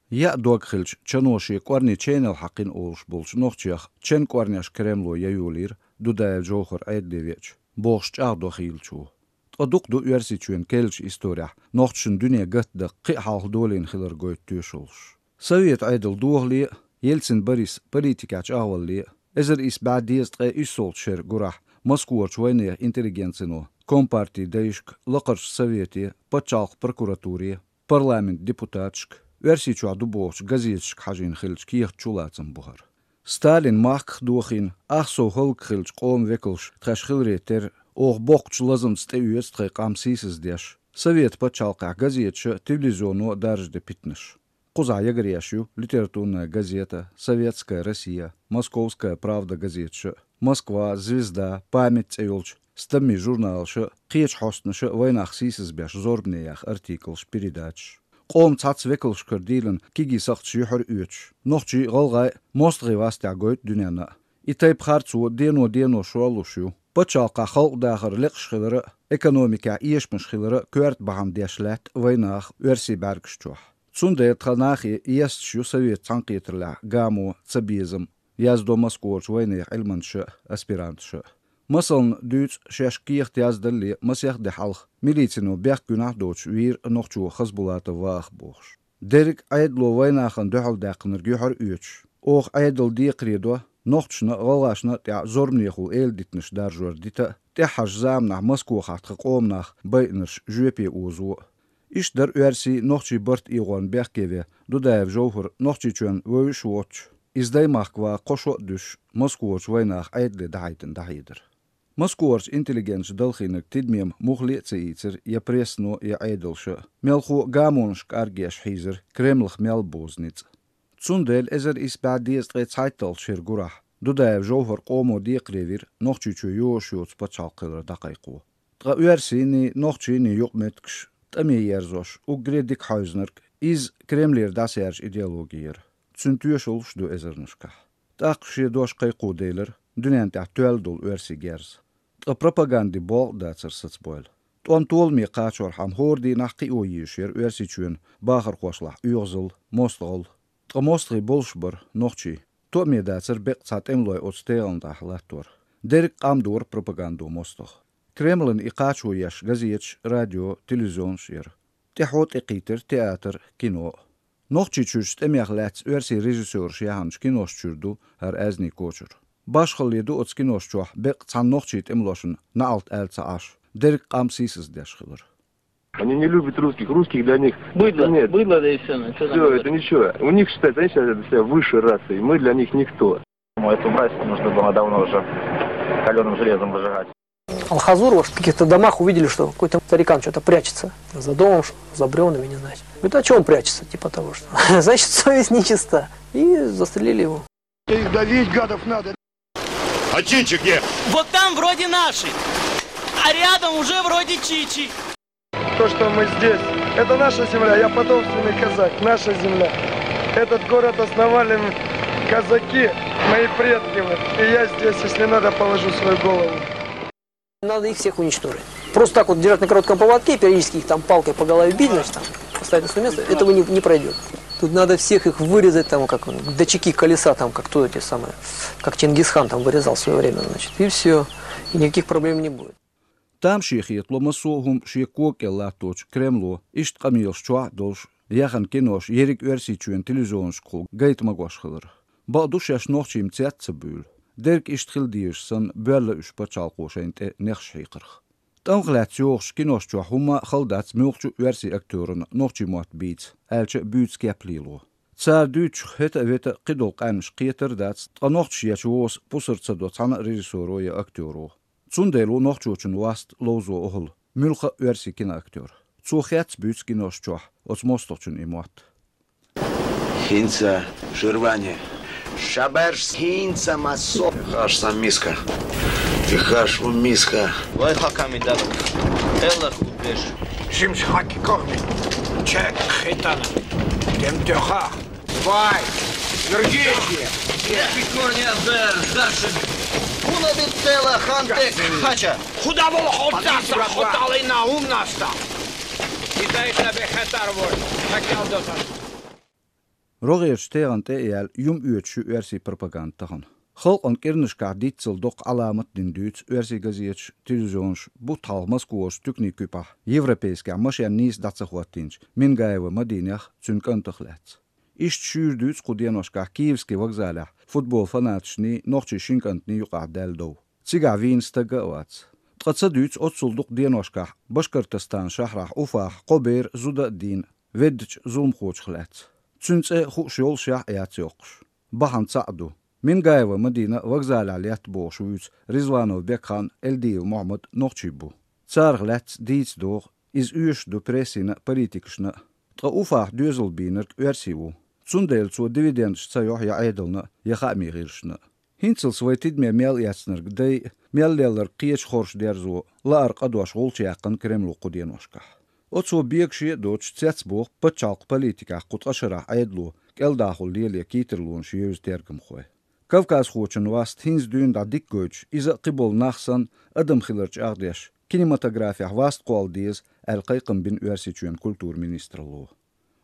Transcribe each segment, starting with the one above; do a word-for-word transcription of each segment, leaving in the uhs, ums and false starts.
Яа дог хилча, чано шен кӀорни ченел хьакхина олуш болчу нохчех чен кӀорнеш Кремло яйолийра Дудаев Жовхар Ӏедале веача, бохуш чӀагӀдо хийлачо. Ткъа дукха ду Оьрсийчоьнан керлачу исторехь нохчашна дуьне гатдан кхин а хьалха долийна хилар гойту тоьшаллаш. Совет Ӏедал дохале а, Ельцин Борис политикехь чӀагӀвалале а, эзар исс бӀе дезткъе иссолгӀачу шеран гурахь Москварчу вайнехан интеллигенцино, компартин дайшка, лакхарчу совете, пачхьалкхан прокуратуре, парламентан депутаташка, Оьрсийчохь ду бохучу газеташка хьажийна хиллачу кехат чулацам бу хӀара. Сталин махках дохийна, ах сов хӀаллакьхилчу къоман векалш тхаьш хиларе терра, оха боккхачу лазамца тӀеоьцу тхайн къам сийсаздеш, Совет пачхьалкхехь газеташа а, телевизионо а даржаде питанаш. Кхузахь ягаръеш ю «Литературная газета», «Советская Россия», «Московская правда» газеташа а, «Москва», «Звезда», «Память» цӀе йолчу стаммийн журналаша а, кхечу хьостанаша а вайнах сийсазбеш зорбане яха артиклаш, передачаш. Къоман цхьацца векалшкара дийлина кегий сакхташ юьхьар а оьцуш, нохчий а, гӀалгӀай а мостагӀийн вастехь гойту дуьненна а. И тайпа харцо дено-дено шорлуш ю. Пачхьалкхехь халкъан дахар лекъаш хилар а, экономикехь эшамаш хилар а коьрта бахьана деш лаьтта вайнаха оьрсийн бӀаьргаш чохь. Цундела тхан нахе есташ ю совет цхьаьнакхетарлехь гамо, цабезам, яздо Москварчу вайнехан Ӏилманчаша а, аспиранташа а. Масална дуьйцу шаьш кехат яздалле, масех де хьалха милицино бехк гуьнахь а доцуш вийра нохчо Хасбулатов Ваха бохуш. Дерриг а Ӏедало вайнахана дуьхьал даьккхинарг юьхьар а оьцуш, оха Ӏедал декхаре до, нохчашна а, гӀалгӀашна а тӀехь зорбанехула эладитанаш даржор дита а, тӀаьххьарчу заманахь Москвахахь тхан къоман нах байинарш жоьпе озо а. Иштта дара оьрсийн, нохчийн барт эгӀорна бехке вен Дудаев Жовхар Нохчийчоьнна вевзаш а воцуш, иза Даймахка ван кхо шо а дуьсуш, Москварчу вайнаха Ӏедале дӀахьайтина дӀахьедар. Москварчу интеллигенташа далхийнарг тидаме муххале а ца ийцира я прессано, я Ӏедалша а, мелхо а гамонашка кӀаргъеш хьийзира, Кремлах мел бозу ницкъ. Цундела эзар исс бӀе дезткъе цхьайтталгӀачу шеран гурахь Дудаев Жовхар къомо декхаре вира Нохчийчоь йозуш йоцу пачхьалкх хилар дӀакхайкхо. Ткъа оьрсийний, нохчийний юкъаметтигаш тӀаме ерзош, уггаре дика хьаьвзинарг, иза Кремлера дӀасаьржа идеологи яра. Цуьнан тоьшаллаш а ду эзарнашкахь. ТӀаккха шен дош кхайкхо делира дуьненна тӀехь тоьлла долу оьрсийн герз. Ткъа пропагандин болх а дацара сацабойла. ТӀом толаме кхачорхьама хӀора дийнахь кхио езаш яра Оьрсийчоьнан бахархошлахь оьгӀазалла, мостагӀалла. Ткъа мостагӀий болуш бара нохчий. Тоъаме дацара беккъа цхьа тӀемалой оцу тегӀанна тӀехь латтор. Дерриг а къам дора пропагандо мостагӀа. Кремлана и кхачо еш газеташ, радио, телевизионаш а яра. ТӀаьхьо тӀекхийтира театр, кино а. Нохчийчуьрчу тӀемех лаьцна оьрсийн режиссёраша яьхначу киношна чуьра ду хӀара аьзнийн кочара. Башхалле ду оцу кинош чохь беккъа цхьана нохчийн тӀемалошна наӀалт аьлла ца Ӏаш, дерриг а къам сийсаздеш хилар. Они не любят русских, русских для них Быдло, это нет. Быдло, да и всё, ну, чё там Все, говорить? Это ничего. У них считается, они считают себя высшей расой, мы для них никто. Эту мразь нужно было давно уже калёным железом выжигать. Алхазур, вот в каких-то домах увидели, что какой-то старикан что-то прячется за домом, что за брёвнами, не знаю. Говорит: «А чё он прячется?» Типа того, что, значит, совесть нечиста. И застрелили его. Их давить, гадов, надо. А чичи где? Вот там вроде наши, а рядом уже вроде чичи. То, что мы здесь, это наша земля, я потомственный казак, наша земля. Этот город основали казаки, мои предки, вот. И я здесь, если надо, положу свою голову. Надо их всех уничтожить. Просто так вот держать на коротком поводке, периодически их там палкой по голове бить, значит, там, поставить на своё место, этого не, не пройдёт. Тут надо всех их вырезать, там, как датчики колеса, там, как кто эти самые, как Чингисхан там вырезал в своё время, значит, и всё. И никаких проблем не будет. Тамашийна хетало массо а хӀума шен кога кӀел латточу Кремло, иштта къамелаш чохь а долуш, яьхна кинош ерриг Оьрсийчоьнан телевизионашкахула гайта магош хилар. Бакъду, шаьш нохчий-м цец а ца буьйлу. Дерг иштта хила дезаш санна, боьлла уьш пачхьалкхо шайна тӀе нехаш хьийкхарх. ТӀамах лаьцна йогӀучу кинош чохь хӀумма а хала дац муьлххачу а оьрсийн актёрана нохчийн мотт бийца, аьлча а буьйцу кеп лело. Цара дуьйцучух хӀета а, вета а кхидолу къаьмнаш кхетар а дац, ткъа нохчаша ечу воса пусар ца до цхьана а режиссёро я актёро. Цундела ву нохчочун васт ловзо охьула муьлхха а оьрсийн киноактёр. Цо хец а буьйцу кинош чохь оцу мостагӀчун и мотт. ХӀинца шервани. Шаберш хӀинца массо. Хаш сан миска. Ти хаш у миска. Вай хаками дадам. Эллах удеш. Жимш хаки кохми. Чек хитана. Дем тёха. Вай. Норвегия. Пиконя бер даши. Уна бит тела хантек хача. Худа бол хотаса, хоталина умнаста. Китай табе хатар вор. Хакал дотан. РогӀерчу тӀегӀан тӀе а яьлла, юм оьцуш ю оьрсийн пропаганда тахана. Халкъан кӀирнашкахь диццал доккха Ӏаламат а дина дуьйцу оьрсийн газеташ, телевизионаш, бутт хьалха Москварчу туьканийн куьпахь, европейскехь машен нийса дӀа ца хӀоттийначу Мингаева Мадинех, цуьнан кӀантах лаьцна. Иштта шуьйра дуьйцу кху деношкахь Киевский вокзалехь футбол фанаташний, нохчийн шин кӀантаний юкъахь даьлла дов. Цигахь вийна стаг а вац. Ткъа ца дуьйцу оццул дукха деношкахь Башкортостан шахьрахь Уфахь кхо бер зуда а дийна веддачу зуламхочух лаьцна. Цуьнан цӀе хууш йолушехь а яц йоккхуш. Бахьана цхьаъ ду. Мингаева Мадина вокзалехь летта бохуш вуьйцу Ризванов Бекхан, Эльдиев Мухьаммад нохчий бу. Царах лаьцна дийца догӀу, иза оьшуш ду прессина а, политикашна а. Ткъа Уфахь доьзал бийнарг оьрси ву. Цундела цо дивидендаш ца йохьу я Ӏедална а, я хаамийн гӀирсашна а. ХӀинцалц вай тидаме мел эцнарг дайа, мел лелларг кхечу хорша дерзо, лаар къа дош гӀулч яьккхина Кремло кху деношкахь. Оцо бегаше а доцуш цецбоху пачхьалкхан политикехь кху ткъа шарахь Ӏедало кӀелдахула лелае кийттарлонаш евза тергамхой. Кавказхочун васт хӀинца дуьйна дӀа дика гойтуш, иза а кхиболу нах санна, адам хилар чӀагӀдеш, кинематографехь васт кхолла деза, аьлла кхайкхам бина Оьрсийчоьнан культуран министралло.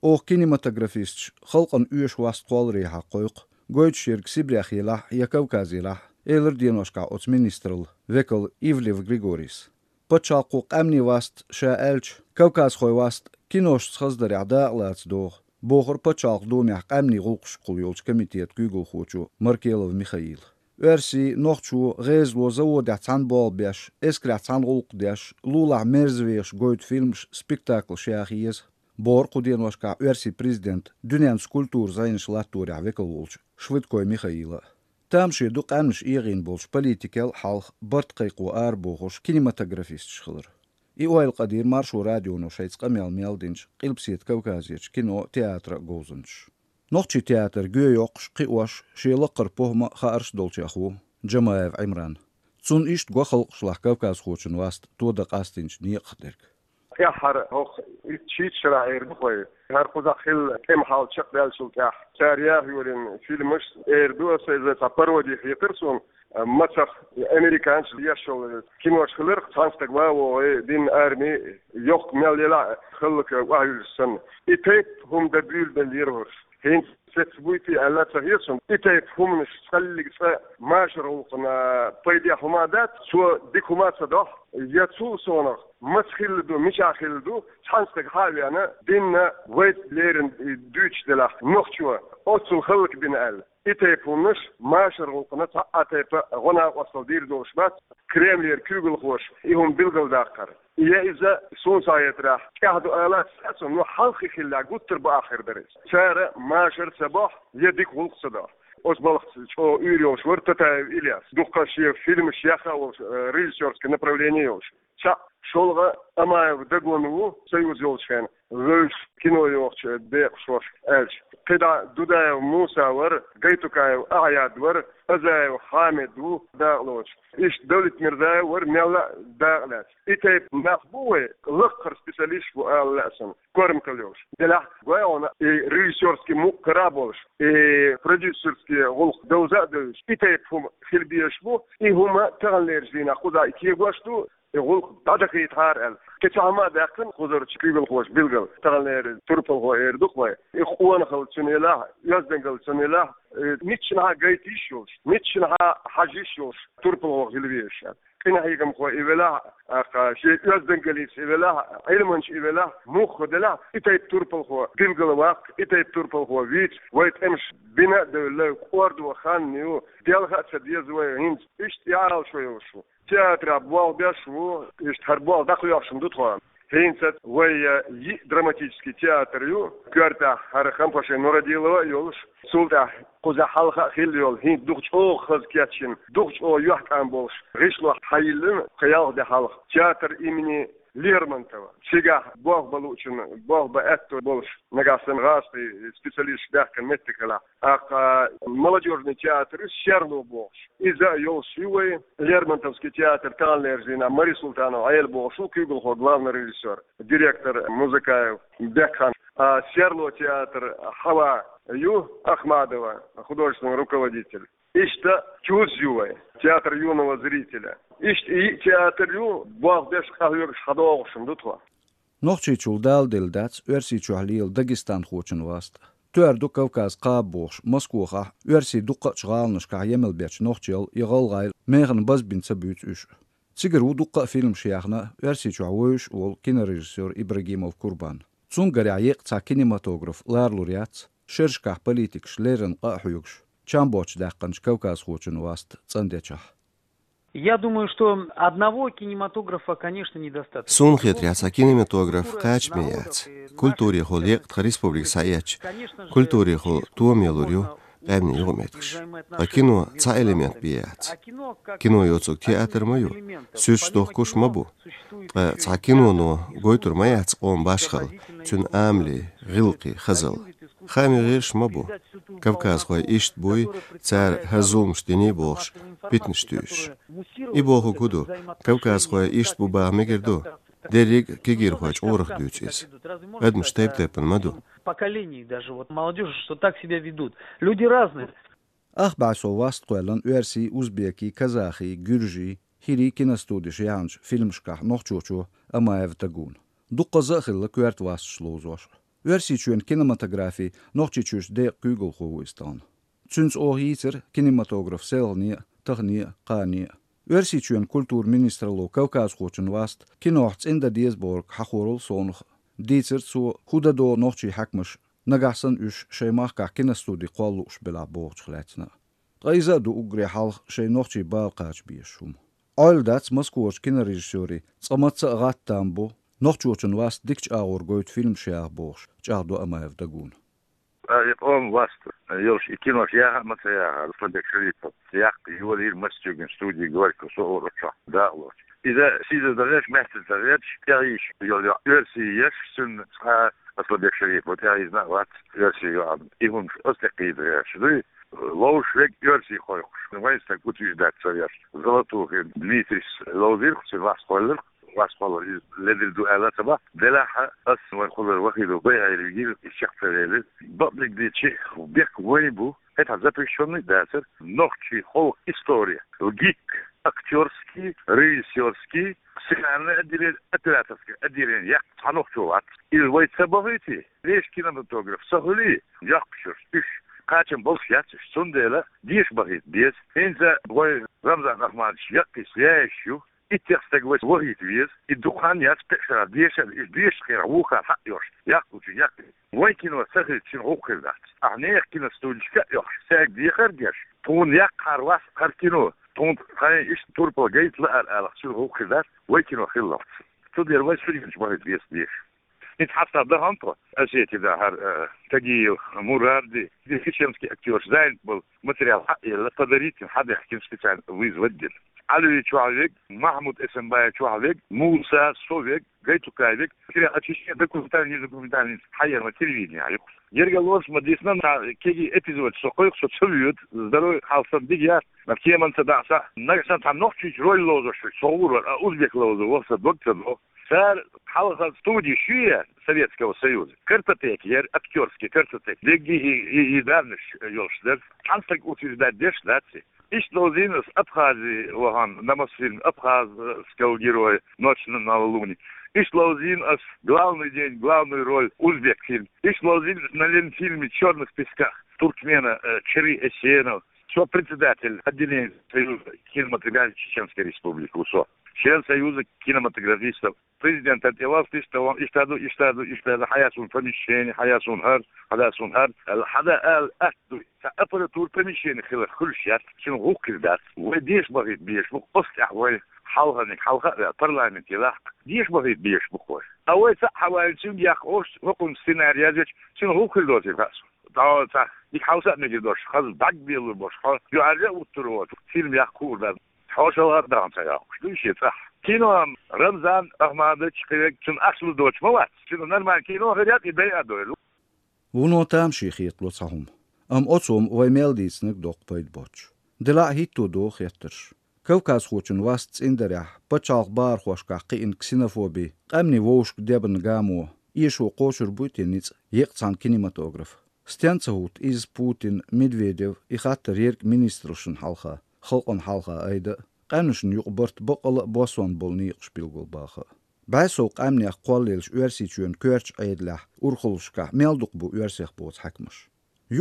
Оха кинематографисташ халкъана оьшу васт кхолларехьа кхойкху, гойтуш ерг Сибрех елахь я Кавказ елахь, элира деношкахь оцу министралла векал Ивлев Григорийс. Пачхьалкхо къаьмнийн васт ша аьлча, кавказхой васт киношца хаздарехь дакъалаца догӀу, бохура пачхьалкхан думехь къаьмнийн гӀуллакхашкахула йолчу комитетан куьйгалхочо Маркелов Михаила. Оьрсий, нохчо гӀезало заводехь цхьаьна болх беш, эскарехь цхьаьна гӀуллакх деш, лулахь мерзавехаш гойту фильмаш, спектаклаш яха еза, бохура кху деношкахь Оьрсийн президента дуьненца культуран зӀенаш латторехь векал волчу Швыдкой Михаила. Тамаше ду къаьмнаш эгӀийна болчу политикел а хьалха барт кхайкхо арабохуш кинематографисташ хилар. И ойла къадийра Маршо радионо шайца къамел мел динчу Къилбаседа Кавказерчу кино, театра говзанчаш. Нохчийн театр гоьйоккхуш, кхиош, шен лакхара похӀма а, хаарш а долчех ву Джамаев Ӏимран. Цунна иштта го халкъашлахь кавказхочун васт тодан къастийначу некъах дерг. ТӀаьххьара хӀокху итт-шийтта шарахь эр ду вай. ХӀара кхузахь хилла тӀеман хьал чекхбаьллачул тӀаьхьа цара яха йолийна фильмаш, эр ду аса, иза цхьа пароди хетара суна, мацах американцаша еш йолу кинош хиларх, цхьана стага ван вогӀий динна арми, йоккха мел елахь а хӀаллакьа охьаюьллуш санна. И тайпа хӀума дан буьйлабеллера хӀорш. ХӀинца цецбуьйтий аьлла ца хета суна, и тайпа хӀуманаш цхьаллиг цкъа машар гӀуллакхана пайдехь хӀума дац, цо дика хӀума ца дохьу, я цул совнаха, маца хилла ду, мичахь хилла ду, цхьана стага хьа а веана, динна вайца леррина дуьйцуш делахь, нохчо оццул хӀаллакбина аьлла. И тайпа хӀуманаш машар гӀуллакхана цхьа а тайпа гӀо-накъосталла дийр долуш бац, Кремлера куьйгалхоша и хӀума билгалдаккхар. Я иза, суна схьахетарехь, тӀаьхьа ду алаца, ну, хьалххе хиллехь, гуттар а бакъахьа хир дара иза. Цара машар ца бохьу, я дика гӀуллакх ца дохьу. Оцу балхаца чӀогӀа уьйр йолуш вара Татаев Ильяс. Дуккха шен фильмаш яха а волуш, э, режиссёрский направление йолуш. Цхьаъ, шолгӀа, Амаев Дагон ву, Союз йолчу хенахь, вевзаш кино йохучу декъашхошка аьлча. КхидӀа Дудаев Муса вара, Гайтукаев Ахьяд вара, Азаев Хьамид ву дакъалоцуш. Иштта Давлетмирзаев вара мелла а дакъа лаьцна. И тайпа нах бу вай, лакхара специалисташ бу ала лаьа суна, корматалла йолуш. Делахь гой хьуна и режиссёрский мукъ кара а болуш, и продюсерский гӀуллакх довза а девзаш, и тайпа хӀума хила безаш бу, и хӀума таханлерчу дийнахь кхузахь и кегош ду, и гӀуллакх дӀадахийтахьара аьлла. Кхин цхьа хӀума а даьккхина кхузарчу куьйгалхоша билггал, таханлера турпалхо эр ду-кх вай. И къонахалла цуьнан елахь, оьздангалла цуьнан елахь, э, миччанхьа гайта йиш йолуш, миччанхьа хьажа йиш йолуш турпалхо хила везаш аьлла. Къинхьегамхо и велахь а, кха, шен оьздангаллица и велахь а, Ӏилманча и велахь а, муха делахь а, и тайпа турпалхо билггал ваккха, и тайпа турпалхо вийца, вай тӀемаш бина а девлла, кӀордо хан ю, делха а ца деза вай хӀинца, иштта и Ӏалашо йолуш ву. Театрехь болх беш ву, иштта хӀара болх дӀакхоьхьуш ду тхо. ХӀинца вай, э, йиъ драматический театр ю, коьртехь хӀара Хампашин Нурадилова а йолуш, цул тӀаьхьа кхузахь хьалха а хилла йолу, хӀинца дукха чӀогӀа хаза кечйина, дукха чӀогӀа юьхькӀам болуш, гӀишло хьайиллина кху ялх де хьалха, театр имени Лермонтова. Цигахь болх бан луучунна болх бан аьтто болуш, нагахь санна гӀазкхийн специалисташ баьхкина меттиг хилахь. ТӀаккха молодёжный театр ю, Серло бохуш. Иза а йолуш ю вай, Лермонтовский театр таханлерчу дийнахь Мари Султанова Ӏела бохуш ву куьйгалхо, главный режиссёр, директор Музыкаев Бекхан. А Серло театр Хьава ю, Ахмадова художественный руководитель. Иштта чуз ю вай, театр юного зрителя. Иштта и театр ю, болх беш къахьоьгуш хьадогӀуш ду тхо. Нохчийчул даладелла дац Оьрсийчохь лела дагестанхочун васт. Тоьар ду Кавказ кхаба бохуш, Москвахь, оьрсийн дуккхачу гӀаланашкахь емал бечу нохчел я гӀалгӀайл механа базбина ца буьйцу уьш. Цигара ву дуккха а фильмаш яьхна, Оьрсийчохь вевзаш а волу кинорежиссёр Ибрагимов Курбан. Цуьнгарехь еккъа цхьа кинематограф ларалур яц, шерашкахь политикаш леррина къа а хьоьгуш, чам боцуш даьккхинчу кавказхочун васт цӀандечохь. Я думаю, что одного кинематографа, конечно, недостаточно. Суна хетарехь, цхьа кинематограф кхачаме яц. Культурехула еккъа тхан республика схьаэцча, культурехула тома ялур ю къаьмнийн юкъаметтигаш. Ткъа кино цхьа элемент бен яц. Кино йоцург театр ма ю, суьрташ дохкуш ма бу. Ткъа цхьа киноно гойтур ма яц къоман башхалла, цуьнан амале, гӀиллакхе, хазалла. Хаамийн гӀирсаш ма бу. Кавказхой иштта буй, цара хӀара зуламаш диний бохуш, питанаш туьйсуш. И бохург хӀун ду, кавказхой иштта бу баха мегар ду? Дерриг а кегийрхой чкъурах дуьйцу иза. Адамаш тайп-тайпана ма ду. Поколений даже, вот молодёжь, что так себя ведут. Люди разные. Ах бӀе сов васт кхоьллина оьрсийн, узбекийн, казахийн, гуьржийн, хӀирийн киностудеш яьхначу фильмашкахь нохчочо Амаев Дагуна. Дуккхаза а хилла коьрта васташ ловзош. Оьрсийчоьнан кинематографин Нохчийчуьрчу декъан куьйгалхо ву иза тахана. Цуьнца оха йийцира кинематограф селхане а, тахане а, кхане а. Оьрсийчоьнан культуран министралло кавказхочун васт кинохь цӀиндан деза бохург хьахорал совнаха. Дийцира цо, хӀун дан догӀу нохчийн хьаькамаш, нагахь санна уьш шайн махкахь киностуди кхолла лууш белахь бохучух лаьцна а. Ткъа иза а ду уггаре хьалха шайн нохчийн бала кхача безаш хӀума. Ӏойла дац Москварчу кинорежиссёрийн, цкъа мацца а гӀатта там бу, нохчочун васт дикачу агӀор гойту фильмаш яха бохуш, чӀагӀдо Амаев Дагуна. А, и къоман васт йолуш, и кинош яха а ма ца яхара, Асланбек Шарипов яккха йолийра Москван студи «Горький» со олучохь дакъалоцуш. Иза сийсаз ца гӀерташ, маьстаза ца гӀерташ, тӀехьийзаш йолу йоӀ оьрсий еш, цуьнан цхьа а Асланбек Шарипов тӀехьийзина а вац, оьрсий йоӀ. И хӀумаш оцу тӀе кхийда гӀерташ дуй. Ловзуш верг оьрсий кхойкхуш, вайн стаг утверждать ца веш. Золотухин Дмитрис ловзийра-кх, цуьнан васт кхоьллира-кх, васт кхоллар иза ледара ду аьлла ца боху. Делахь а ас вайн кхоллар Вахидов Байхьира вигира, иза чекх ца велира. Бакъдерг дийцича, бехк вайн бу, хӀетахь запрещённый а дацара, нохчийн халкъан истори, ГИТИК, актёрский, режиссёрский, сценарное отделение, операторское отделение яккха цхьа нохчо вац. Иза вай ца бахийтий, вешан кинематограф ца хуьлий, йоккхуш йолуш, уьш кхачам болуш яц уьш, цундела деша бахийта беза. ХӀинца вай Рамзан Ахмадович яккхий связаш ю, иттех стаг вай вахийта веза, и дукха хан яц, пхи шарахь, дешар, уьш дешачу хенахь вукхара хьаъ йолуш, яккхалчун яккхий. Вайн кино ца хилча, шуна гӀуллакх хир дац. Ахьа нехан киностудешка а йохуш, цаьрга дехар а деш, тхуна яккхахьара вац хӀара кино, тхуна тхайн иштта турпал гайта лаьара алахь, шуна гӀуллакх хир дац, вай кино хилалц. Цудухьа вай студенташ бахийта веза деша. ХӀинца хьастагӀа дахана тхо, Осетия дахьара, э, Тагиев, Муради, чеченский актёраш занят болу, материал хьаъ елла, подарить дина, хьадехкина, специально вызвать дина. Ӏалви чохь вег, Махьмуд Эсамбаев чохь вег, Муса, со вег, Гайтукай вег, материал а чечен документальный, недокументальный хьаера ма телевиденехь юкъа. Герга лораш ма дисна, ца кегий эпизод со кхойкху, со ца воьду, здоровье хьалха санна дика яц, ма кеман ца дахьа сан, нагахь санна цхьа нохчийчу роль ловзош верг со гӀур вара, а узбек ловзо вахса дог ца доху. Цара хьалха студи ю яра Советского Союза. Картотека яра, актёрский картотека. Дегги и, и, и данныш йолуш дара. Цхьана стаг утверждать деш дац и. Иштта ловзийна ас Абхазе вахана, на Мосфильм, абхазского героя, «Ночь на, на Луне». Иштта ловзийна ас главный день, главную роль, узбек фильм. Иштта ловзийна ас на Ленфильме «Чёрных песках» туркмена, э, Чери Эсенов. Со председатель отделения Союза кинематографии Чеченской Республики ву со. Член Союза кинематографистов. Президентан тӀе васт иштта ван, иштта ду, иштта ду, иштта ду, хьаяц вун помещение, хьаяц вун хӀара, хьаяц вун хӀара. Хьада ала атта ду, сан аппаратура, помещение хилар хуьлуш яц, шуна гӀуллакх хир дац. Вай деша бахийта безаш бу, оцу тӀехь вай хьалханиг хьалха а ваьлла, парламент елахь, деша бахийта безаш бу вай. А вай цхьаъ хьаваьлча, цуьнга яккха ош, хӀокхунна сценарий язъеча, шуна гӀуллакх хир доцийла хаьа суна. ДӀо цхьа дика хьовса а мегар долуш, хаза дӀаг белур болуш, хьо юьхьӀаьржа а вуттур воцу, фильм яккха хуур дац. Хьо шалгӀа а дахана ца йоккхуш дуй шен цӀахь. Кино Рамзан Ахмадович кхевег, цуьнан ахча лур доцуш ма вац. Шуна нормально кино хир яц, и дайа а дойла. Вуно тамашийна хетало цхьа хӀума. Амма оцо-м вай мел дийцинарг доккха пайда боцуш. Делахь а хӀитто догӀу хеттарш. Кавказхочун васт цӀиндарехь, пачхьалкхан бахархошкахь кхиъна ксенофоби, къаьмнийн вовшашка дебан гамо, эшо кхочур буй те ницкъ еккъа цхьана кинематографа? Стенна ца хӀутту иза Путин, Медведев, и хаттар ерриг министрашна хьалха, халкъана хьалха айда а, къаьмнашна юкъа барт баккъала а боссонан болу некъаш билгалбаха а? БӀаь сов къаьмнех кхоллаелча Оьрсийчоьнан коьртачу Ӏедалехь урхаллашкахь мел дукха бу оьрсех боцу хьаькамаш.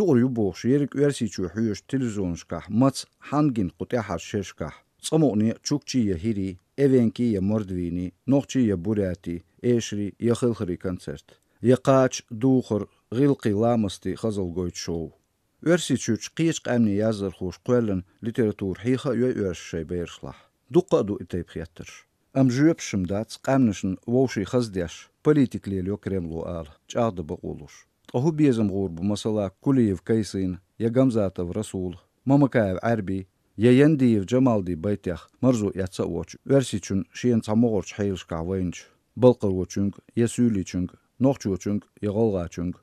Юкъара ю бохуш ерриг Оьрсийчоь хьоьжучу телевизионашкахь маца, хьанна гина кху тӀаьххьарчу шерашкахь цкъа мукъане а чукчий я хӀирий, эвенкий я мордвийний, нохчий я бурятий, эшарий я хелхарий концерт, я кхача, духар, гӀиллакхий ламастий хазалла гойту шоу. Оьрсийчуьрчу кхечу къаьмнийн яздархоша кхоьллина литература хьеха а йой оьрсаша шайн берашлахь? Дуккха а ду и тайпа хеттарш. Амма жоьпаш-м дац къаьмнашна вовшийн хаза деш, политика лелайо Кремло ала, чӀагӀдан бакъо луш. Ткъа хӀун безам гӀур бу, масала, Кулиев Кайсын я Гамзатов Расул, Мамакаев Ӏаьрби я Яндиев Джамалди байтех марзо эцца а воцуш, Оьрсийчун шена цхьа могӀарчу хьелашкахь вайначу балкхарочуьнга я суьйличуьнга, нохчочуьнга я гӀалгӀачуьнга?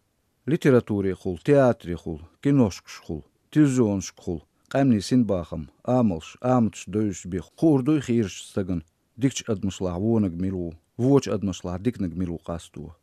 Литературехула, театрехула, киношкашкахула, телевизионашкахула къаьмнийн синбахам, амалш, аматаш девзаш бен хуур дуй хийрачу стагана дикачу адамашлахь вониг мила ву, вочу адамашлахь диканиг мила ву къасто?